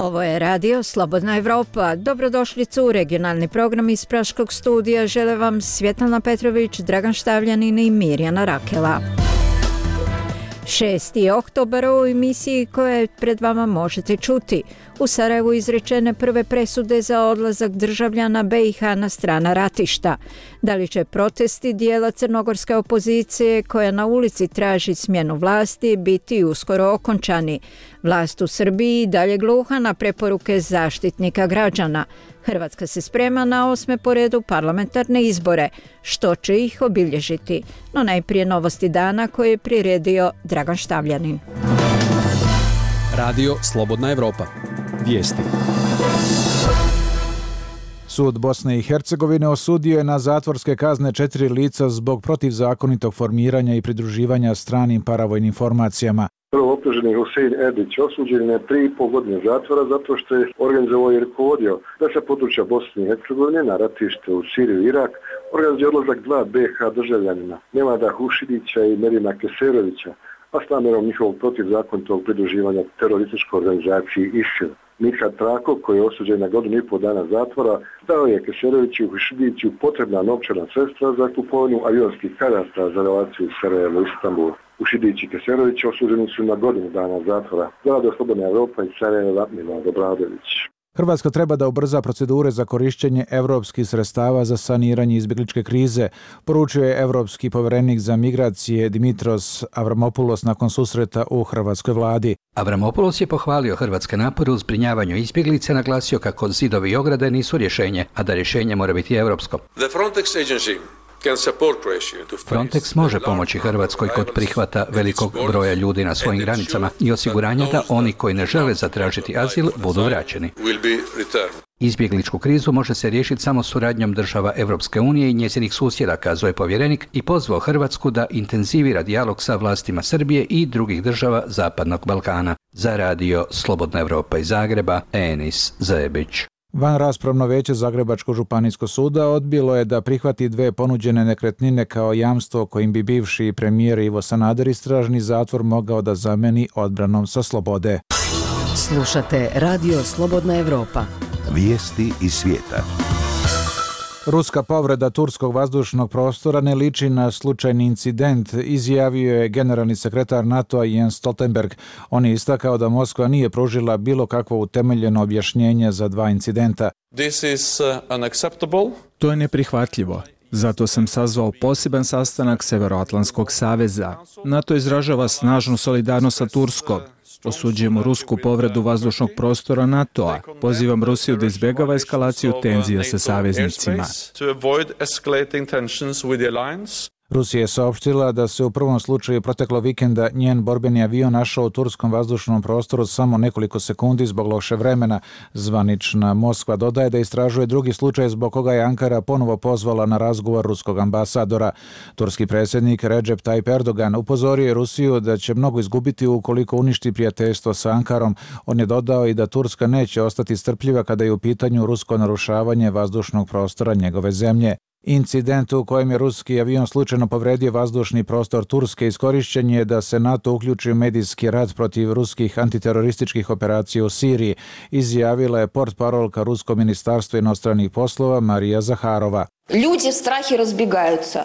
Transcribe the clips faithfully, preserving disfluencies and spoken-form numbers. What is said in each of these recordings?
Ovo je radio Slobodna Evropa. Dobrodošlicu u regionalni program iz Praškog studija. Žele vam Svjetlana Petrović, Dragan Štavljanin i Mirjana Rakela. šesti oktobar u emisiji koje pred vama možete čuti. U Sarajevu izrečene prve presude za odlazak državljana be i ha na strana ratišta. Da li će protesti dijela crnogorske opozicije koja na ulici traži smjenu vlasti biti uskoro okončani? Vlast u Srbiji dalje gluha na preporuke zaštitnika građana. Hrvatska se sprema na osme po redu parlamentarne izbore, što će ih obilježiti. No najprije novosti dana koje je priredio Dragan Štavljanin. Radio Slobodna Evropa. Vijesti. Sud Bosne i Hercegovine osudio je na zatvorske kazne četiri lica zbog protivzakonitog formiranja i pridruživanja stranim paravojnim formacijama. Prvo optuženi Husein Edić osuđen je tri i pol godine zatvora zato što je organizovao i rukovodio da sa područja Bosne i Hercegovine na ratište u Siriju i Irak organizuje odlazak dva be ha državljanina, Nemada Hušidića i Merima Keserovića, a s namjerom njihovog protivzakonitog pridruživanja terorističkoj organizaciji ISIL. Mithat Trako, koji je osuđen na godinu i pol dana zatvora, dao je Keseroviću i Hušidiću potrebna novčana sredstva za kupovinu avionskih karata za relaciju Sarajevo-Istanbul. Hušidić i Keserović osuđeni su na godinu dana zatvora. Radio Slobodna Evropa iz Sarajeva, Milorad Obradović. Hrvatska treba da ubrza procedure za korištenje evropskih sredstava za saniranje izbjegličke krize, poručio je evropski povjerenik za migracije Dimitros Avramopoulos nakon susreta u hrvatskoj vladi. Avramopoulos je pohvalio hrvatske napore u zbrinjavanju izbjeglice, naglasio kako zidovi i ograde nisu rješenje, a da rješenje mora biti europsko. The Frontex agency Frontex može pomoći Hrvatskoj kod prihvata velikog broja ljudi na svojim granicama i osiguranja da oni koji ne žele zatražiti azil budu vraćeni. Izbjegličku krizu može se riješiti samo suradnjom država Europske unije i njezinih susjeda, kazao je povjerenik i pozvao Hrvatsku da intenzivira dijalog sa vlastima Srbije i drugih država Zapadnog Balkana. Za radio Slobodna Evropa iz Zagreba, Enis Zebić. Vanraspravno vijeće Zagrebačkog županijskog suda odbilo je da prihvati dve ponuđene nekretnine kao jamstvo kojim bi bivši premijer Ivo Sanader istražni zatvor mogao da zameni odbranom sa slobode. Slušate Radio Slobodna Evropa. Vijesti iz svijeta. Ruska povreda turskog vazdušnog prostora ne liči na slučajni incident, izjavio je generalni sekretar NATO-a Jens Stoltenberg. On je istakao da Moskva nije pružila bilo kakvo utemeljeno objašnjenje za dva incidenta. This is unacceptable. To je neprihvatljivo. Zato sam sazvao poseban sastanak Severoatlantskog saveza. NATO izražava snažnu solidarnost sa Turskom. Osuđujemo rusku povredu vazdušnog prostora NATO-a. Pozivam Rusiju da izbjegava eskalaciju tenzija sa saveznicima. Rusija je saopštila da se u prvom slučaju proteklo vikenda njen borbeni avion našao u turskom vazdušnom prostoru samo nekoliko sekundi zbog loše vremena. Zvanična Moskva dodaje da istražuje drugi slučaj zbog koga je Ankara ponovo pozvala na razgovor ruskog ambasadora. Turski predsjednik Recep Tayyip Erdogan upozorio je Rusiju da će mnogo izgubiti ukoliko uništi prijateljstvo sa Ankarom. On je dodao i da Turska neće ostati strpljiva kada je u pitanju rusko narušavanje vazdušnog prostora njegove zemlje. Incident u kojem je ruski avion slučajno povredio vazdušni prostor Turske iskorišćen je da se NATO uključi u medijski rat protiv ruskih antiterorističkih operacija u Siriji, izjavila je portparolka Ruskog ministarstva inostranih poslova Marija Zaharova. Ljudi strahi razbjegаются.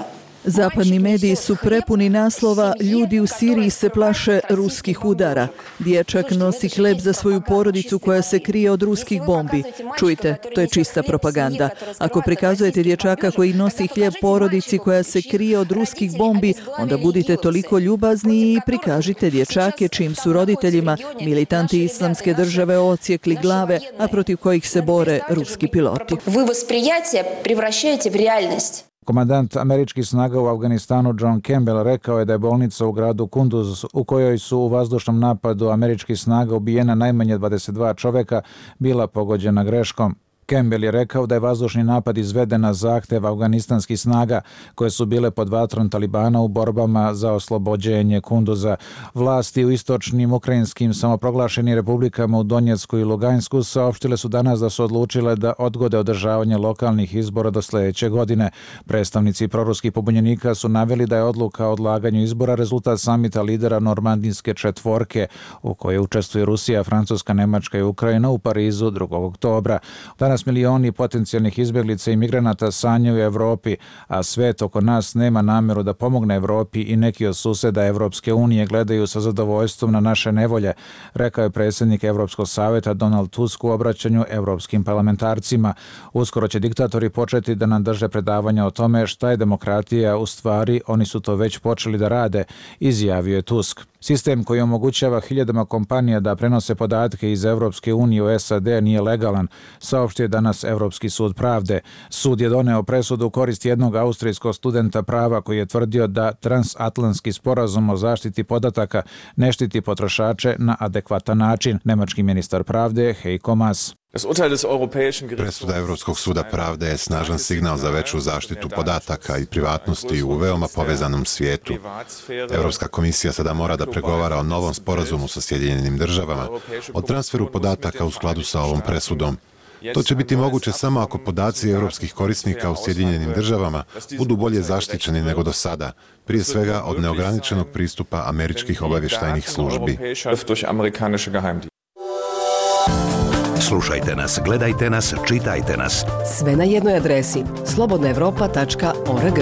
Zapadni mediji su prepuni naslova "Ljudi u Siriji se plaše ruskih udara". Dječak nosi hleb za svoju porodicu koja se krije od ruskih bombi. Čujte, to je čista propaganda. Ako prikazujete dječaka koji nosi hljeb porodici koja se krije od ruskih bombi, onda budite toliko ljubazni i prikažite dječake čijim su roditeljima militanti islamske države odsjekli glave, a protiv kojih se bore ruski piloti. Vi восприятие превращаете в реальность. Komandant američkih snaga u Afganistanu John Campbell rekao je da je bolnica u gradu Kunduz, u kojoj su u vazdušnom napadu američkih snaga ubijena najmanje dvadeset dva čoveka, bila pogođena greškom. Campbell je rekao da je vazdušni napad izveden na zahtev afganistanskih snaga koje su bile pod vatrom Talibana u borbama za oslobođenje Kunduza. Vlasti u istočnim ukrajinskim samoproglašenim republikama u Donjecku i Lugansku saopštile su danas da su odlučile da odgode održavanje lokalnih izbora do sljedeće godine. Predstavnici proruskih pobunjenika su naveli da je odluka o odlaganju izbora rezultat samita lidera normandijske četvorke u kojoj učestvuju Rusija, Francuska, Nemačka i Ukrajina u Parizu drugog oktobra. Danas milioni potencijalnih izbjeglica i migranata sanjaju u Evropi, a svet oko nas nema namjeru da pomogne Evropi i neki od suseda Evropske unije gledaju sa zadovoljstvom na naše nevolje, rekao je predsjednik Evropskog savjeta Donald Tusk u obraćanju evropskim parlamentarcima. Uskoro će diktatori početi da nam drže predavanja o tome šta je demokratija, u stvari oni su to već počeli da rade, izjavio je Tusk. Sistem koji omogućava hiljadama kompanija da prenose podatke iz Evropske unije u S A D nije legalan, saopštio je danas Evropski sud pravde. Sud je doneo presudu u korist jednog austrijskog studenta prava koji je tvrdio da transatlantski sporazum o zaštiti podataka ne štiti potrošače na adekvatan način. Nemački ministar pravde Heiko Maas. Presuda Europskog suda pravde je snažan signal za veću zaštitu podataka i privatnosti u veoma povezanom svijetu. Europska komisija sada mora da pregovara o novom sporazumu sa Sjedinjenim državama, o transferu podataka u skladu sa ovom presudom. To će biti moguće samo ako podaci europskih korisnika u Sjedinjenim državama budu bolje zaštićeni nego do sada, prije svega od neograničenog pristupa američkih obavještajnih službi. Slušajte nas, gledajte nas, čitajte nas. Sve na jednoj adresi slobodna europa tačka org.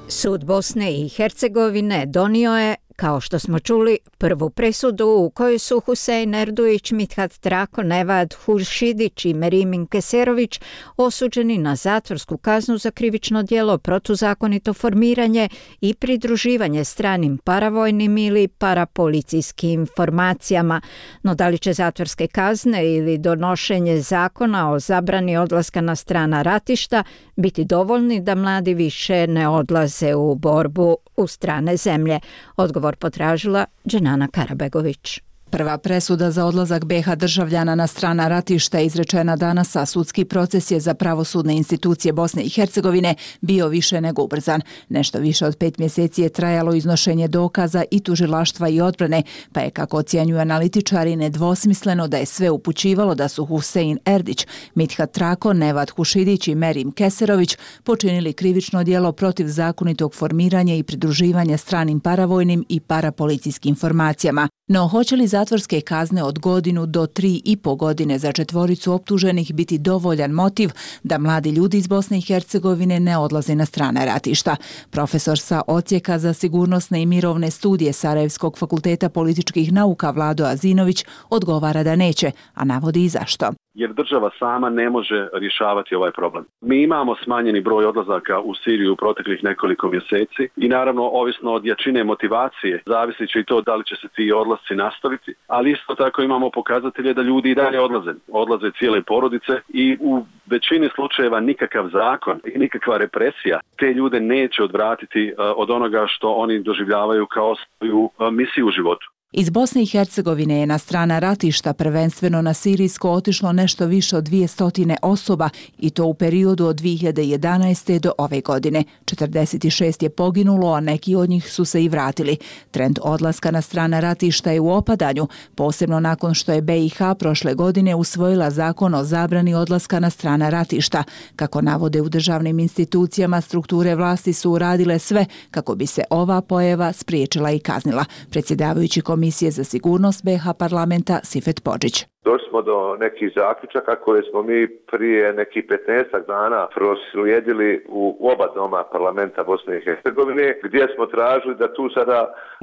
Sud Bosne i Hercegovine donio je, kao što smo čuli, prvu presudu u kojoj su Husein Erduić, Mithat Trako, Nevad Hušidić i Merimin Keserović osuđeni na zatvorsku kaznu za krivično djelo protuzakonito formiranje i pridruživanje stranim paravojnim ili parapolicijskim formacijama. No da li će zatvorske kazne ili donošenje zakona o zabrani odlaska na strana ratišta biti dovoljni da mladi više ne odlaze u borbu u strane zemlje? Odgovor potražila Dženana Karabegović. Prva presuda za odlazak B iH državljana na strana ratišta je izrečena danas, a sudski proces je za pravosudne institucije Bosne i Hercegovine bio više nego ubrzan. Nešto više od pet mjeseci je trajalo iznošenje dokaza i tužilaštva i odbrane, pa je, kako ocjenjuju analitičari, nedvosmisleno da je sve upućivalo da su Husein Erdić, Mithat Trako, Nevad Hušidić i Merim Keserović počinili krivično djelo protiv zakonitog formiranja i pridruživanja stranim paravojnim i parapolicijskim formacijama. No, hoće li zatvorske kazne od godinu do tri i po godine za četvoricu optuženih biti dovoljan motiv da mladi ljudi iz Bosne i Hercegovine ne odlaze na strane ratišta? Profesor sa Odsjeka za sigurnosne i mirovne studije Sarajevskog fakulteta političkih nauka Vlado Azinović odgovara da neće, a navodi i zašto. Jer država sama ne može rješavati ovaj problem. Mi imamo smanjeni broj odlazaka u Siriju u proteklih nekoliko mjeseci i naravno, ovisno od jačine motivacije, zavisit će i to da li će se ti odlasci nastaviti, ali isto tako imamo pokazatelje da ljudi i dalje odlaze. Odlaze cijele porodice i u većini slučajeva nikakav zakon i nikakva represija te ljude neće odvratiti od onoga što oni doživljavaju kao svoju misiju u životu. Iz Bosne i Hercegovine je na strana ratišta, prvenstveno na sirijsko, otišlo nešto više od dvjesto osoba i to u periodu od dvije hiljade jedanaeste. do ove godine. četrdeset šest je poginulo, a neki od njih su se i vratili. Trend odlaska na strana ratišta je u opadanju, posebno nakon što je B iH prošle godine usvojila zakon o zabrani odlaska na strana ratišta. Kako navode u državnim institucijama, strukture vlasti su uradile sve kako bi se ova pojava spriječila i kaznila. Predsjedavajući Komisije za sigurnost B iH parlamenta Sifet Podžić. Došli smo do nekih zaključaka koje smo mi prije nekih petnaestak dana proslijedili u oba doma parlamenta Bosne i Hercegovine, gdje smo tražili da tu sada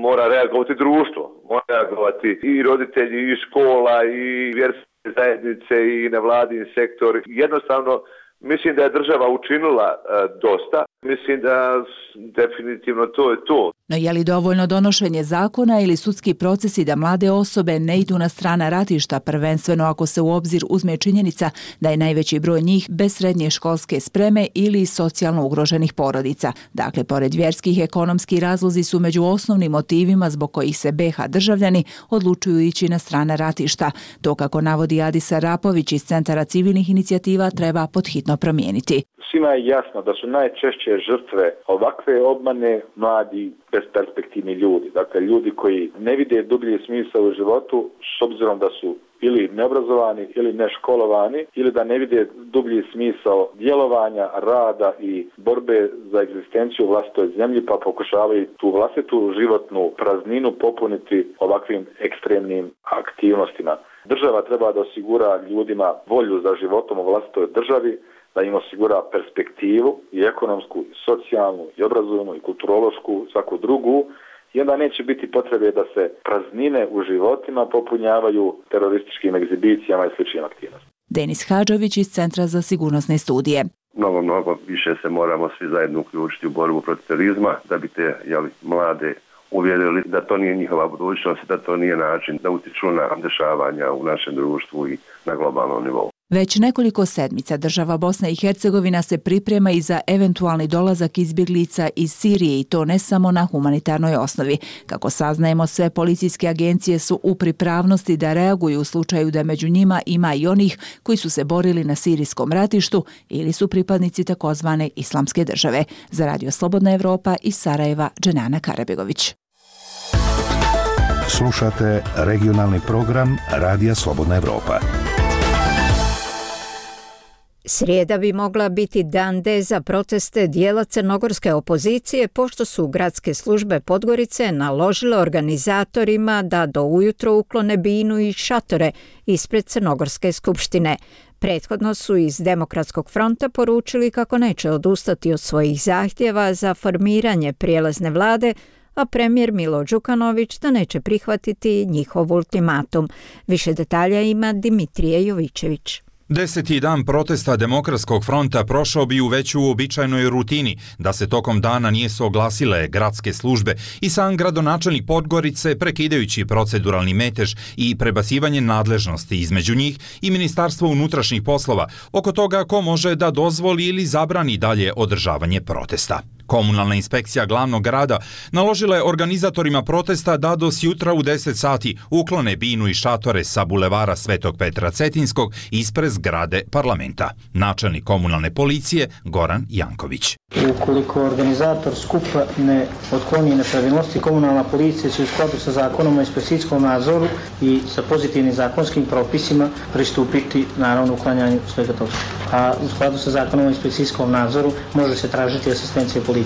mora reagovati društvo, mora reagovati i roditelji, i škola, i vjerske zajednice, i nevladin sektor. Jednostavno, mislim da je država učinila e, dosta. Mislim da definitivno to je to. No je li dovoljno donošenje zakona ili sudski procesi da mlade osobe ne idu na strana ratišta, prvenstveno ako se u obzir uzme činjenica da je najveći broj njih bez srednje školske spreme ili socijalno ugroženih porodica. Dakle, pored vjerskih, ekonomski razlozi su među osnovnim motivima zbog kojih se be ha državljani odlučuju ići na strana ratišta. To, kako navodi Adis Arapović iz Centara civilnih inicijativa, treba podhitno promijeniti. Svima je jasno da su najčešće žrtve ovakve obmane mladi besperspektivni ljudi. Dakle, ljudi koji ne vide dublji smisao u životu s obzirom da su ili neobrazovani ili neškolovani ili da ne vide dublji smisao djelovanja, rada i borbe za egzistenciju u vlastitoj zemlji, pa pokušavaju tu vlastitu životnu prazninu popuniti ovakvim ekstremnim aktivnostima. Država treba da osigura ljudima volju za životom u vlastitoj državi, da im osigura perspektivu i ekonomsku, i socijalnu, i obrazovnu, i kulturološku, i svaku drugu, i onda neće biti potrebe da se praznine u životima popunjavaju terorističkim egzibicijama i sličnim aktivnostima. Denis Hadžović iz Centra za sigurnosne studije. Mnogo, mnogo više se moramo svi zajedno uključiti u borbu protiv terorizma da bi te jeli, mlade uvjerili da to nije njihova budućnost, da to nije način da utiču na dešavanja u našem društvu i na globalnom nivou. Već nekoliko sedmica država Bosna i Hercegovina se priprema i za eventualni dolazak izbjeglica iz Sirije i to ne samo na humanitarnoj osnovi. Kako saznajemo, sve policijske agencije su u pripravnosti da reaguju u slučaju da među njima ima i onih koji su se borili na sirijskom ratištu ili su pripadnici takozvane islamske države. Za Radio Slobodna Evropa iz Sarajeva, Dženana Karabegović. Slušate regionalni program Radija Slobodna Evropa. Srijeda bi mogla biti dan D za proteste dijela crnogorske opozicije, pošto su gradske službe Podgorice naložile organizatorima da do ujutro uklone binu i šatore ispred Crnogorske skupštine. Prethodno su iz Demokratskog fronta poručili kako neće odustati od svojih zahtjeva za formiranje prijelazne vlade, a premijer Milo Đukanović da neće prihvatiti njihov ultimatum. Više detalja ima Dimitrije Jovićević. Deseti dan protesta Demokratskog fronta prošao bi u već uobičajenoj rutini da se tokom dana nisu oglasile gradske službe i sam gradonačelnik Podgorice, prekidajući proceduralni metež i prebacivanje nadležnosti između njih i Ministarstvo unutrašnjih poslova oko toga ko može da dozvoli ili zabrani dalje održavanje protesta. Komunalna inspekcija glavnog grada naložila je organizatorima protesta da do sjutra u deset sati uklone binu i šatore sa bulevara Svetog Petra Cetinskog ispred zgrade parlamenta. Načelnik komunalne policije Goran Janković. Ukoliko organizator skupa ne otkloni nepravilnosti, komunalna policija će u skladu sa zakonom o inspekcijskom nadzoru i sa pozitivnim zakonskim propisima pristupiti naravno uklanjanju svega toga. A u skladu sa zakonom o inspekcijskom nadzoru može se tražiti asistencija policije.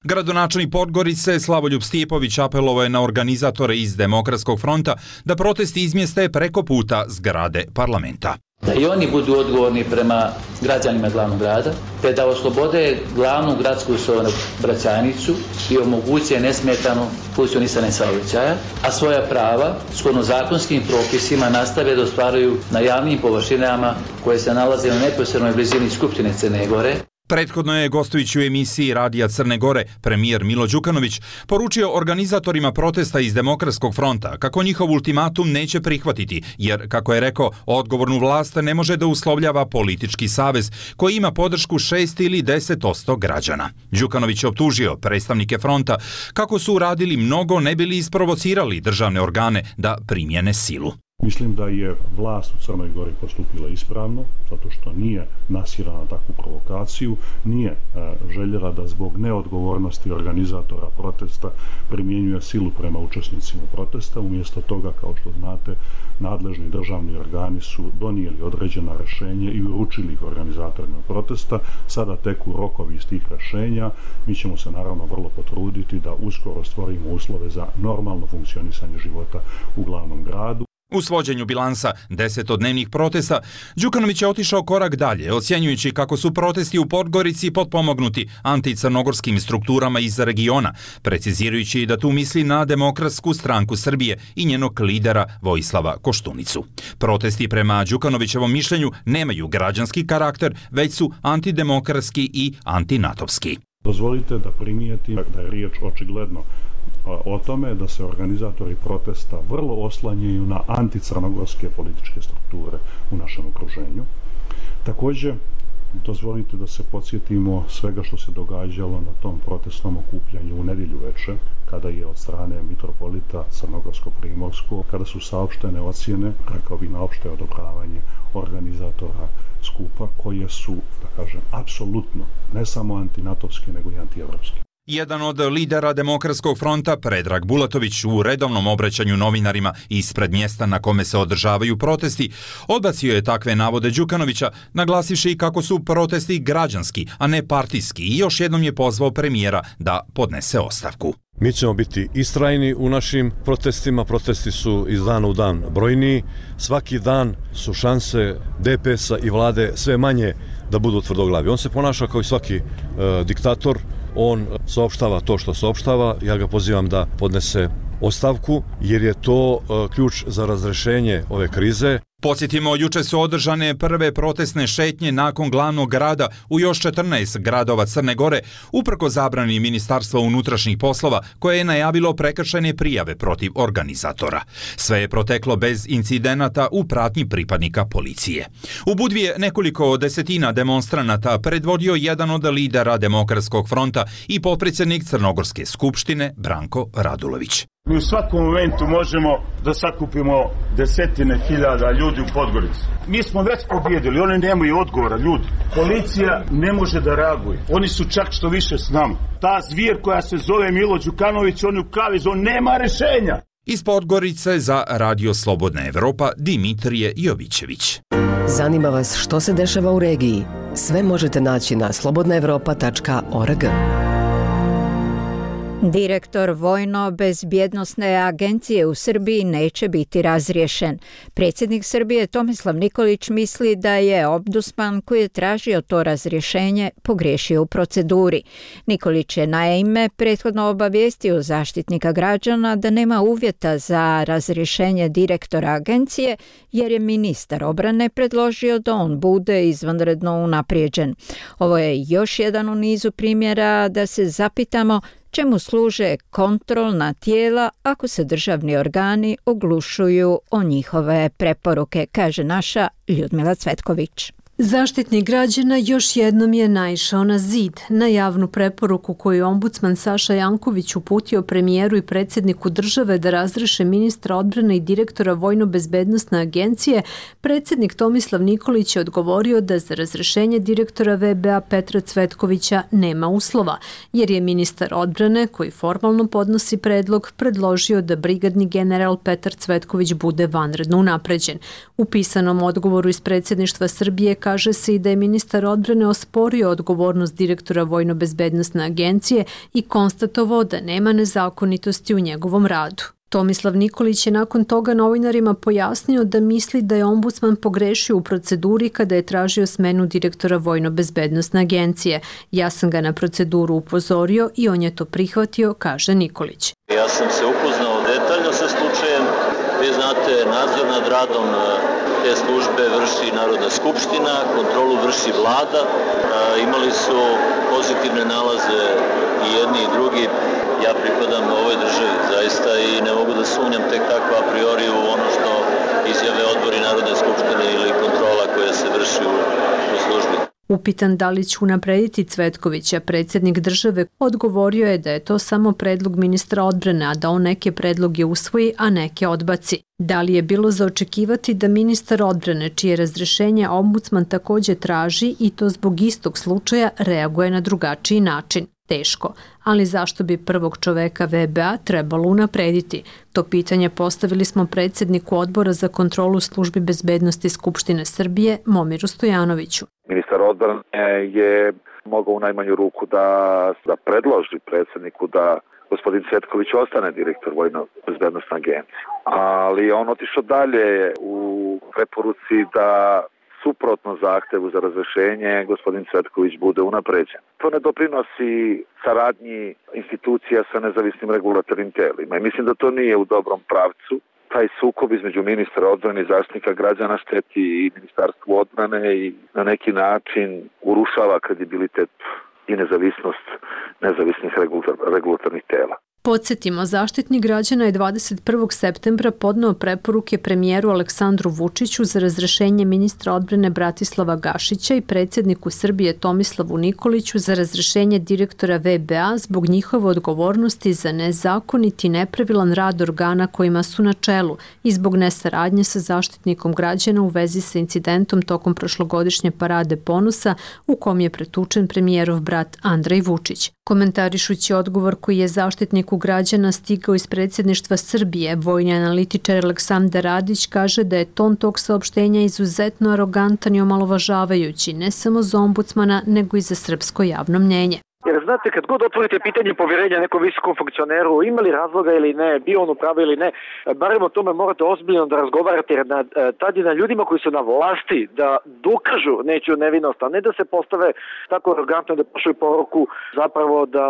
Gradonačelnik Podgorice Slavoljub Stijepović apelovao je na organizatore iz Demokratskog fronta da protesti izmjeste preko puta zgrade parlamenta. Da i oni budu odgovorni prema građanima glavnog grada, te da oslobode glavnu gradsku saobraćajnicu i omoguće nesmetano funkcionisanje saobraćaja, a svoja prava shodno zakonskim propisima nastave da ostvaruju na javnim površinama koje se nalaze u neposrednoj blizini Skupštine Crne Gore. Prethodno je, gostujući u emisiji Radija Crne Gore, premijer Milo Đukanović poručio organizatorima protesta iz Demokratskog fronta kako njihov ultimatum neće prihvatiti, jer, kako je rekao, odgovornu vlast ne može da uslovljava politički savez koji ima podršku šest ili deset posto građana. Đukanović je optužio predstavnike fronta kako su uradili mnogo ne bili isprovocirali državne organe da primjene silu. Mislim da je vlast u Crnoj Gori postupila ispravno, zato što nije nasirala na takvu provokaciju, nije e, željela da zbog neodgovornosti organizatora protesta primjenjuje silu prema učesnicima protesta. Umjesto toga, kao što znate, nadležni državni organi su donijeli određena rješenja i uručili ih organizatorima protesta. Sada teku rokovi iz tih rješenja. Mi ćemo se naravno vrlo potruditi da uskoro stvorimo uslove za normalno funkcionisanje života u glavnom gradu. U svođenju bilansa desetodnevnih protesta, Đukanović je otišao korak dalje, ocjenjujući kako su protesti u Podgorici potpomognuti anticrnogorskim strukturama iz regiona, precizirajući da tu misli na Demokratsku stranku Srbije i njenog lidera Vojislava Koštunicu. Protesti prema Đukanovićevom mišljenju nemaju građanski karakter, već su antidemokratski i antinatovski. Dozvolite da primijetim da je riječ očigledno o tome da se organizatori protesta vrlo oslanjaju na anticrnogorske političke strukture u našem okruženju. Također, dozvolite da se podsjetimo svega što se događalo na tom protestnom okupljanju u nedjelju večer, kada je od strane mitropolita Crnogorsko-Primorskog, kada su saopštene ocjene, rekao bi na opšte odobravanje organizatora skupa, koje su, da kažem, apsolutno ne samo antinatovske, nego i antievropske. Jedan od lidera Demokratskog fronta, Predrag Bulatović, u redovnom obraćanju novinarima ispred mjesta na kome se održavaju protesti, odbacio je takve navode Đukanovića, naglasivši kako su protesti građanski, a ne partijski, i još jednom je pozvao premijera da podnese ostavku. Mi ćemo biti istrajni u našim protestima, protesti su iz dana u dan brojniji, svaki dan su šanse D P S-a i vlade sve manje da budu tvrdoglavi. On se ponaša kao i svaki e, diktator, on saopštava to što saopštava, ja ga pozivam da podnese ostavku, jer je to e, ključ za razrešenje ove krize. Podsjetimo, juče su održane prve protestne šetnje nakon glavnog grada u još četrnaest gradova Crne Gore, uprko zabrani Ministarstva unutrašnjih poslova, koje je najavilo prekršajne prijave protiv organizatora. Sve je proteklo bez incidenata u pratnji pripadnika policije. U Budvi je nekoliko desetina demonstranata predvodio jedan od lidera Demokratskog fronta i potpredsjednik Crnogorske skupštine Branko Radulović. Mi u svakom momentu možemo da sakupimo desetine hiljada ljudi u Podgorici. Mi smo već pobjedili, oni nemaju odgovora, ljudi. Policija ne može da reaguje. Oni su čak što više s nama. Ta zvir koja se zove Milo Đukanović, on je u kaviz, on nema rešenja. Iz Podgorice za Radio Slobodna Evropa, Dimitrije Jovićević. Zanima vas što se dešava u regiji? Sve možete naći na slobodna evropa tačka org. Direktor Vojno-bezbjednosne agencije u Srbiji neće biti razriješen. Predsjednik Srbije Tomislav Nikolić misli da je ombudsman koji je tražio to razrješenje pogriješio u proceduri. Nikolić je naime prethodno obavijestio zaštitnika građana da nema uvjeta za razrješenje direktora agencije jer je ministar obrane predložio da on bude izvanredno unaprijeđen. Ovo je još jedan u nizu primjera da se zapitamo čemu služe kontrolna tijela ako se državni organi oglušuju o njihove preporuke, kaže naša Ljudmila Cvetković. Zaštitnik građana još jednom je naišao na zid. Na javnu preporuku koju je ombudsman Saša Janković uputio premijeru i predsjedniku države da razriješe ministra odbrane i direktora Vojno-bezbednosne agencije, predsjednik Tomislav Nikolić je odgovorio da za razrješenje direktora V B A Petra Cvetkovića nema uslova, jer je ministar odbrane, koji formalno podnosi predlog, predložio da brigadni general Petar Cvetković bude vanredno unapređen. U pisanom odgovoru iz predsjedništva Srbije kaže se i da je ministar odbrane osporio odgovornost direktora Vojno-bezbednosne agencije i konstatovao da nema nezakonitosti u njegovom radu. Tomislav Nikolić je nakon toga novinarima pojasnio da misli da je ombudsman pogrešio u proceduri kada je tražio smenu direktora Vojno-bezbednosne agencije. Ja sam ga na proceduru upozorio i on je to prihvatio, kaže Nikolić. Ja sam se upoznao detaljno sa slučajem. Vi znate, nadzor nad radom te službe vrši Narodna skupština, kontrolu vrši vlada. E, imali su pozitivne nalaze i jedni i drugi. Ja pripadam ovoj državi zaista i ne mogu da sumnjam tek tako a priori u ono što izjave odbori Narodne skupštine ili kontrola koja se vrši u, u službi. Upitan da li će unaprediti Cvetkovića, predsjednik države odgovorio je da je to samo predlog ministra odbrane, a da on neke predloge usvoji, a neke odbaci. Da li je bilo za očekivati da ministar odbrane, čije razrješenje ombudsman također traži i to zbog istog slučaja, reaguje na drugačiji način? Teško, ali zašto bi prvog čoveka V B A trebalo unaprediti? To pitanje postavili smo predsjedniku odbora za kontrolu službi bezbednosti Skupštine Srbije, Momiru Stojanoviću. Ministar odbrane je mogao u najmanju ruku da, da predloži predsjedniku da gospodin Cvetković ostane direktor Vojno-bezbednosne agencije. Ali on otišao dalje u preporuci da suprotno zahtevu za razrješenje gospodin Cvetković bude unapređen. To ne doprinosi saradnji institucija sa nezavisnim regulatornim telima i mislim da to nije u dobrom pravcu. Taj sukob između ministra odbrane i zaštitnika građana šteti i ministarstvu odbrane i na neki način urušava kredibilitet i nezavisnost nezavisnih regulatornih tela. Podsjetimo, Zaštitnik građana je dvadeset prvog septembra podneo preporuke premijeru Aleksandru Vučiću za razrešenje ministra odbrane Bratislava Gašića i predsjedniku Srbije Tomislavu Nikoliću za razrešenje direktora V B A zbog njihove odgovornosti za nezakonit i nepravilan rad organa kojima su na čelu i zbog nesaradnje sa Zaštitnikom građana u vezi sa incidentom tokom prošlogodišnje parade ponosa u kom je pretučen premijerov brat Andrej Vučić. Komentarišući odgovor koji je Zaštitniku građana stigao iz predsjedništva Srbije, vojni analitičar Aleksandar Radić kaže da je ton tog saopštenja izuzetno arogantan i omalovažavajući ne samo za ombudsmana, nego i za srpsko javno mnjenje. Jer znate, kad god otvorite pitanje povjerenja nekom visokom funkcioneru, ima li razloga ili ne, bio on u pravu ili ne, barem o tome morate ozbiljno da razgovarate, jer na, tad je na ljudima koji su na vlasti da dokažu nečiju nevinost, a ne da se postave tako arogantno da pošalju poruku zapravo da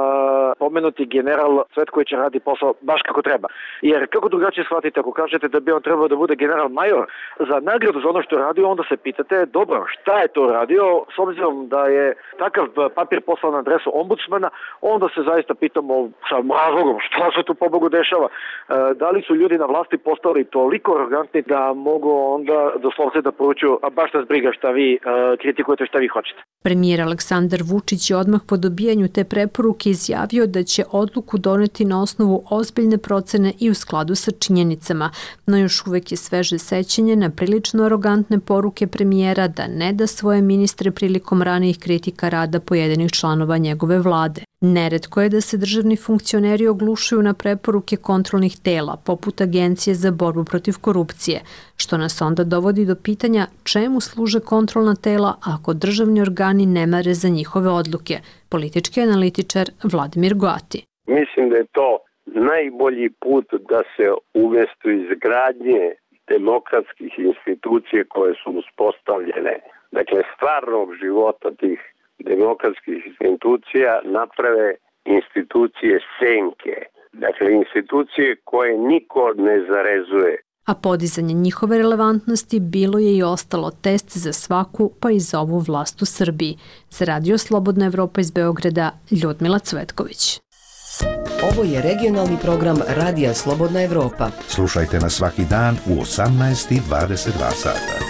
pomenuti general Cvetković radi posao baš kako treba. Jer kako drugačije shvatite ako kažete da bi on trebao da bude general major za nagradu za ono što je radio, onda se pitate, dobro, šta je to radio, s obzirom da je takav papir poslan na adresu ombudsmana, onda se zaista pitamo sa razlogom šta se tu pobogu dešava. E, da li su ljudi na vlasti postali toliko arogantni da mogu onda doslovce da poručuju, a baš nas briga šta vi e, kritikujete, šta vi hoćete. Premijer Aleksandar Vučić je odmah po dobijanju te preporuke izjavio da će odluku doneti na osnovu ozbiljne procene i u skladu sa činjenicama, no još uvek je sveže sećanje na prilično arogantne poruke premijera da ne da svoje ministre prilikom ranijih kritika rada pojedinih članova njegove vlade. Neretko je da se državni funkcioneri oglušuju na preporuke kontrolnih tela, poput Agencije za borbu protiv korupcije, što nas onda dovodi do pitanja čemu služe kontrolna tela ako državni organi ne mare za njihove odluke. Politički analitičar Vladimir Goati. Mislim da je to najbolji put da se umesto izgradnje demokratskih institucije koje su uspostavljene, dakle stvarnog života tih demokratskih institucija, naprave institucije senke, dakle institucije koje niko ne zarezuje. A podizanje njihove relevantnosti bilo je i ostalo test za svaku, pa i za ovu vlast u Srbiji. Za Radio Slobodna Evropa iz Beograda, Ljudmila Cvetković. Ovo je regionalni program Radija Slobodna Evropa. Slušajte nas svaki dan u osamnaest i dvadeset dva sata.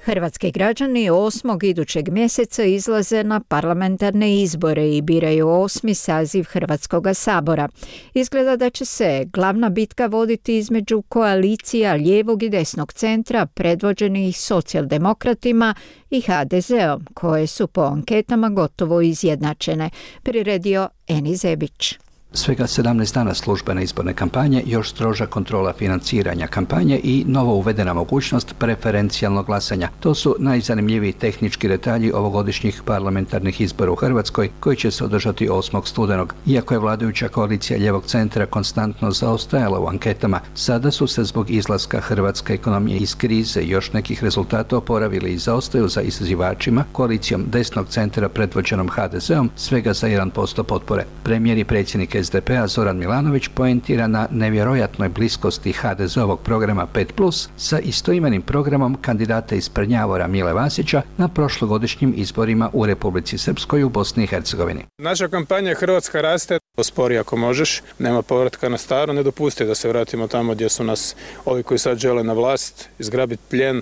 Hrvatski građani osmog idućeg mjeseca izlaze na parlamentarne izbore i biraju osmi saziv Hrvatskoga sabora. Izgleda da će se glavna bitka voditi između koalicija lijevog i desnog centra predvođenih socijaldemokratima i ha de zeom, koje su po anketama gotovo izjednačene, priredio Eni Zebić. Svega sedamnaest dana službene izborne kampanje, još stroža kontrola financiranja kampanje i novo uvedena mogućnost preferencijalnog glasanja. To su najzanimljiviji tehnički detalji ovogodišnjih parlamentarnih izbora u Hrvatskoj koji će se održati osmog studenog. Iako je vladajuća koalicija lijevog centra konstantno zaostajala u anketama, sada su se zbog izlaska hrvatske ekonomije iz krize i još nekih rezultata oporavili i zaostaju za izazivačima koalicijom desnog centra predvođenom ha de zeom svega za jedan posto potpore. Premijer i predsjednik es de pe a Zoran Milanović poentira na nevjerojatnoj bliskosti ha de zeovog programa pet plus sa istoimenim programom kandidata iz Prnjavora Mile Vasića na prošlogodišnjim izborima u Republici Srpskoj u Bosni i Hercegovini. Naša kampanja Hrvatska raste, ospori ako možeš, nema povratka na staro, ne dopusti da se vratimo tamo gdje su nas ovi koji sad žele na vlast, izgrabiti plijen,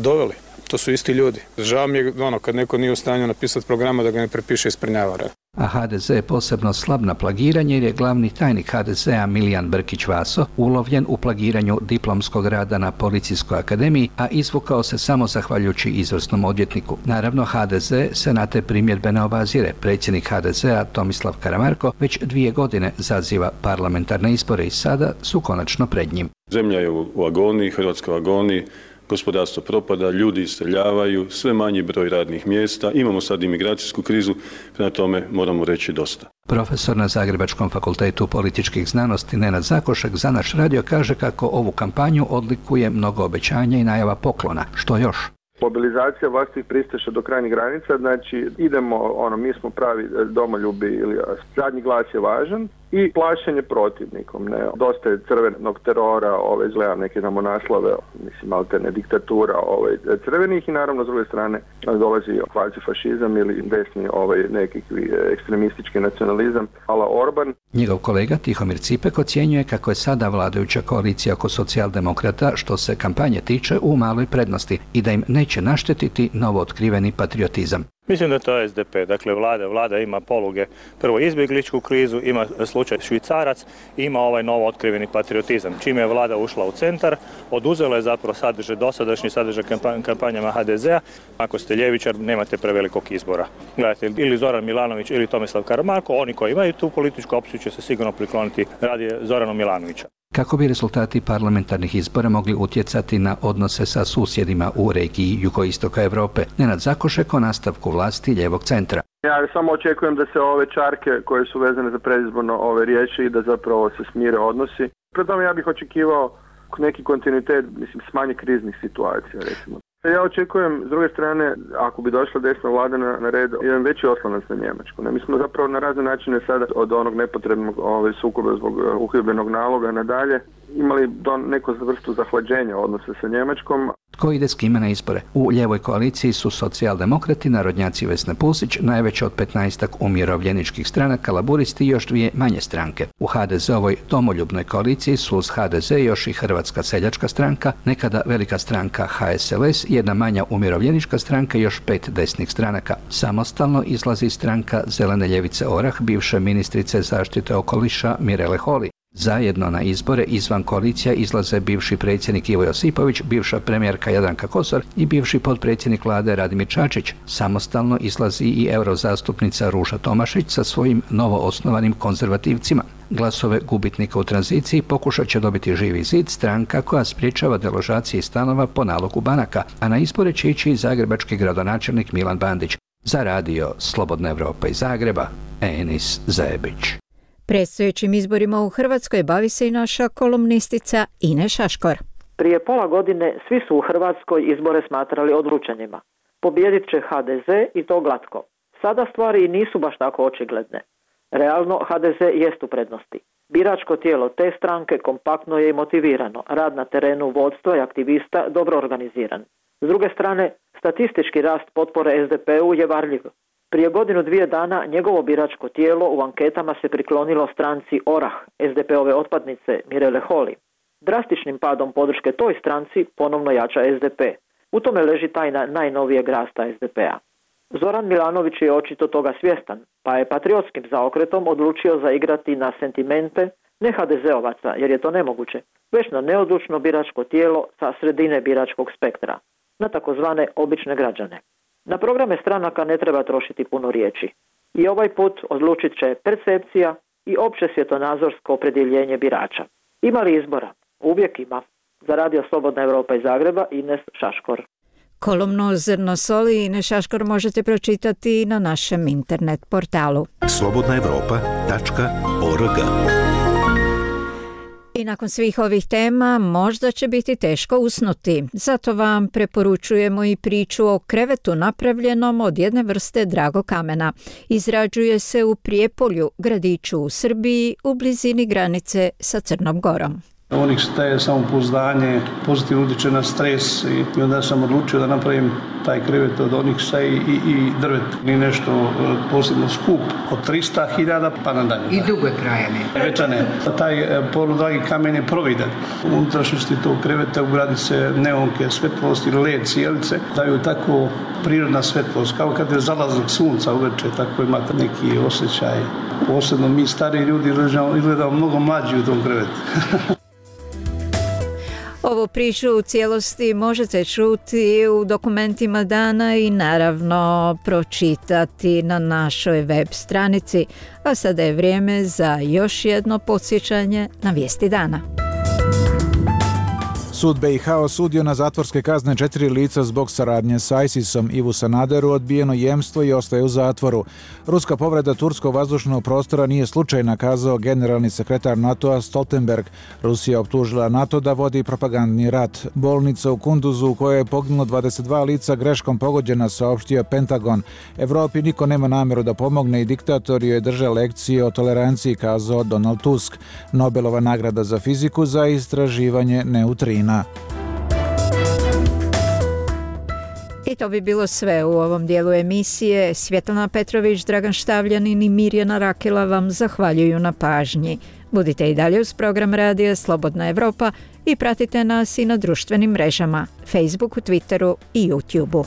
doveli. To su isti ljudi. Žao mi je ono, kad neko nije u stanju napisati programa da ga ne prepiše iz Prnjavora. A ha de ze je posebno slab na plagiranje jer je glavni tajnik ha de zea Milijan Brkić-Vaso ulovljen u plagiranju diplomskog rada na Policijskoj akademiji, a izvukao se samo zahvaljujući izvrsnom odvjetniku. Naravno, ha de ze se na te primjedbe ne obazire. Predsjednik ha de zea Tomislav Karamarko već dvije godine zaziva parlamentarne izbore i sada su konačno pred njim. Zemlja je u agoniji, Hrvatska u agoniji, gospodarstvo propada, ljudi iseljavaju, sve manji broj radnih mjesta, imamo sad imigracijsku krizu, prema tome moramo reći dosta. Profesor na Zagrebačkom fakultetu političkih znanosti Nenad Zakošek za naš radio kaže kako ovu kampanju odlikuje mnogo obećanja i najava poklona. Što još? Mobilizacija vlastih pristaša do krajnjih granica, znači idemo, ono, mi smo pravi domoljubi ili zadnji glas je važan, i plašenje protivnikom. Ne? Dosta je crvenog terora, ove, izgledam neke namo naslove, mislim, alterne diktatura ove, crvenih i naravno s druge strane dolazi kvazi fašizam ili desni ovaj, nekakvi ekstremistički nacionalizam ala Orban. Njegov kolega Tihomir Cipek ocjenjuje kako je sada vladajuća koalicija oko socijaldemokrata što se kampanje tiče u maloj prednosti i da im neće naštetiti novootkriveni patriotizam. Mislim da to je S D P, dakle vlada, vlada ima poluge, prvo izbjegličku krizu, ima slučaj Švicarac, ima ovaj novo otkriveni patriotizam. Čime je vlada ušla u centar, oduzela je zapravo sadržaj, dosadašnji sadržaj kampanjama H D Z-a. Ako ste ljevičar, nemate prevelikog izbora. Gledajte, ili Zoran Milanović ili Tomislav Karamarko, oni koji imaju tu političku opciju će se sigurno prikloniti radi Zoranu Milanovića. Kako bi rezultati parlamentarnih izbora mogli utjecati na odnose sa susjedima u regiji jugoistoka Europe, Nenad Zakošek o nastavku vlasti ljevog centra. Ja samo očekujem da se ove čarke koje su vezane za predizborno ove riječi i da zapravo se smire odnosi. Pri tome ja bih očekivao neki kontinuitet, mislim, smanje kriznih situacija, recimo. Ja očekujem, s druge strane, ako bi došla desna vlada na, na red, jedan veći oslonac na Njemačku. Ne, mi smo zapravo na razne načine sada od onog nepotrebnog ove, sukoba zbog uhidbenog naloga nadalje imali do neku vrstu zahlađenja odnosa sa Njemačkom. Tko ide s kime na izbore? U ljevoj koaliciji su socijaldemokrati, narodnjaci Vesna Pusić, najveće od petnaestak umirovljeničkih stranaka, laburisti i još dvije manje stranke. U H D Z-ovoj domoljubnoj koaliciji su uz H D Z još i Hrvatska seljačka stranka, nekada velika stranka H S L S, jedna manja umirovljenička stranka i još pet desnih stranaka. Samostalno izlazi stranka Zelene ljevice Orah, bivše ministrice zaštite okoliša Mirele Holy. Zajedno na izbore izvan koalicija izlaze bivši predsjednik Ivo Josipović, bivša premijerka Jadranka Kosor i bivši potpredsjednik vlade Radimir Čačić. Samostalno izlazi i eurozastupnica Ruža Tomašić sa svojim novoosnovanim konzervativcima. Glasove gubitnika u tranziciji pokušat će dobiti Živi zid, stranka koja sprječava deložacije stanova po nalogu banaka, a na izbore će ići i zagrebački gradonačelnik Milan Bandić. Za radio Slobodna Evropa iz Zagreba, Enis Zebić. Predstojećim izborima u Hrvatskoj bavi se i naša kolumnistica Ine Šaškor. Prije pola godine svi su u Hrvatskoj izbore smatrali odlučenima. Pobijedit će H D Z i to glatko. Sada stvari nisu baš tako očigledne. Realno H D Z jest u prednosti. Biračko tijelo te stranke kompaktno je i motivirano, rad na terenu vodstva i aktivista dobro organiziran. S druge strane, statistički rast potpore S D P-u je varljiv. Prije godinu dvije dana njegovo biračko tijelo u anketama se priklonilo stranci Orah, S D P-ove otpadnice Mirele Holy. Drastičnim padom podrške toj stranci ponovno jača S D P. U tome leži tajna najnovijeg rasta S D P-a. Zoran Milanović je očito toga svjestan, pa je patriotskim zaokretom odlučio zaigrati na sentimente ne H D Z-ovaca, jer je to nemoguće, već na neodlučno biračko tijelo sa sredine biračkog spektra, na takozvane obične građane. Na programe stranaka ne treba trošiti puno riječi. I ovaj put odlučit će percepcija i opće svjetonazorsko opredjeljenje birača. Ima li izbora? Uvijek ima. Za radio Slobodna Evropa iz Zagreba, Ines Šaškor. Kolumnu Zrno soli Ine Šaškor možete pročitati na našem internet portalu slobodna evropa tačka org. I nakon svih ovih tema možda će biti teško usnuti. Zato vam preporučujemo i priču o krevetu napravljenom od jedne vrste dragokamena. Izrađuje se u Prijepolju, gradiću u Srbiji, u blizini granice sa Crnom Gorom. Onyx daje samopouzdanje, pozitivno utječe na stres i, i onda sam odlučio da napravim taj krevet od Onyxa i, i, i drvet. Ni nešto posebno skup, od trista hiljada pa nadalje. I dugo je trajanje. Večane. Taj poludragi kamen je providan. U unutrašnjosti tog kreveta ugradi se neonke, svetlost ili led cijelice, daju tako prirodna svetlost, kao kad je zalazak sunca uveče, tako imate neki osjećaj. Posebno mi stari ljudi izgledamo mnogo mlađi u tom krevetu. Ovu priču u cijelosti možete čuti u dokumentima dana i naravno pročitati na našoj web stranici. A sada je vrijeme za još jedno podsjećanje na vijesti dana. Sud B i H osudio na zatvorske kazne četiri lica zbog saradnje sa ISISom. Ivu Sanaderu odbijeno jemstvo i ostaje u zatvoru. Ruska povreda turskog vazdušnog prostora nije slučajna, kazao generalni sekretar NATO-a Stoltenberg. Rusija optužila NATO da vodi propagandni rat. Bolnica u Kunduzu u kojoj je poginulo dvadeset dva lica greškom pogođena, saopštio Pentagon. Evropi niko nema namjeru da pomogne i diktator joj drže lekcije o toleranciji, kazao Donald Tusk. Nobelova nagrada za fiziku za istraživanje neutrina. I to bi bilo sve u ovom dijelu emisije. Svjetlana Petrović, Dragan Štavljanin i Mirjana Rakela vam zahvaljuju na pažnji. Budite i dalje uz program radija Slobodna Evropa i pratite nas i na društvenim mrežama, Facebooku, Twitteru i YouTubeu.